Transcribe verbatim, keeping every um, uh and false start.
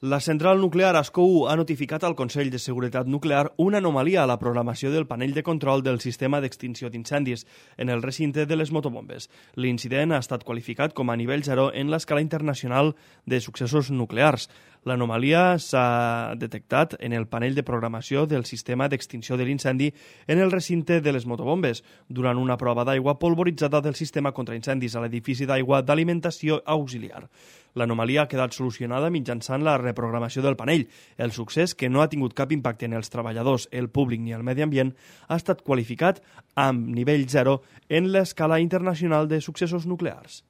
La central nuclear Ascó u ha notificat al Consell de Seguretat Nuclear una anomalia a la programació del panell de control del sistema d'extinció d'incendis en el recinte de les motobombes. L'incident ha estat qualificat com a nivell zero en l'escala internacional de successos nuclears. L'anomalia s'ha detectat en el panell de programació del sistema d'extinció de l'incendi en el recinte de les motobombes durant una prova d'aigua polvoritzada del sistema contra incendis a l'edifici d'aigua d'alimentació auxiliar. L'anomalia ha quedat solucionada mitjançant la reprogramació del panell. El succés, que no ha tingut cap impacte en els treballadors, el públic ni el medi ambient, ha estat qualificat amb nivell zero en l'escala internacional de successos nuclears.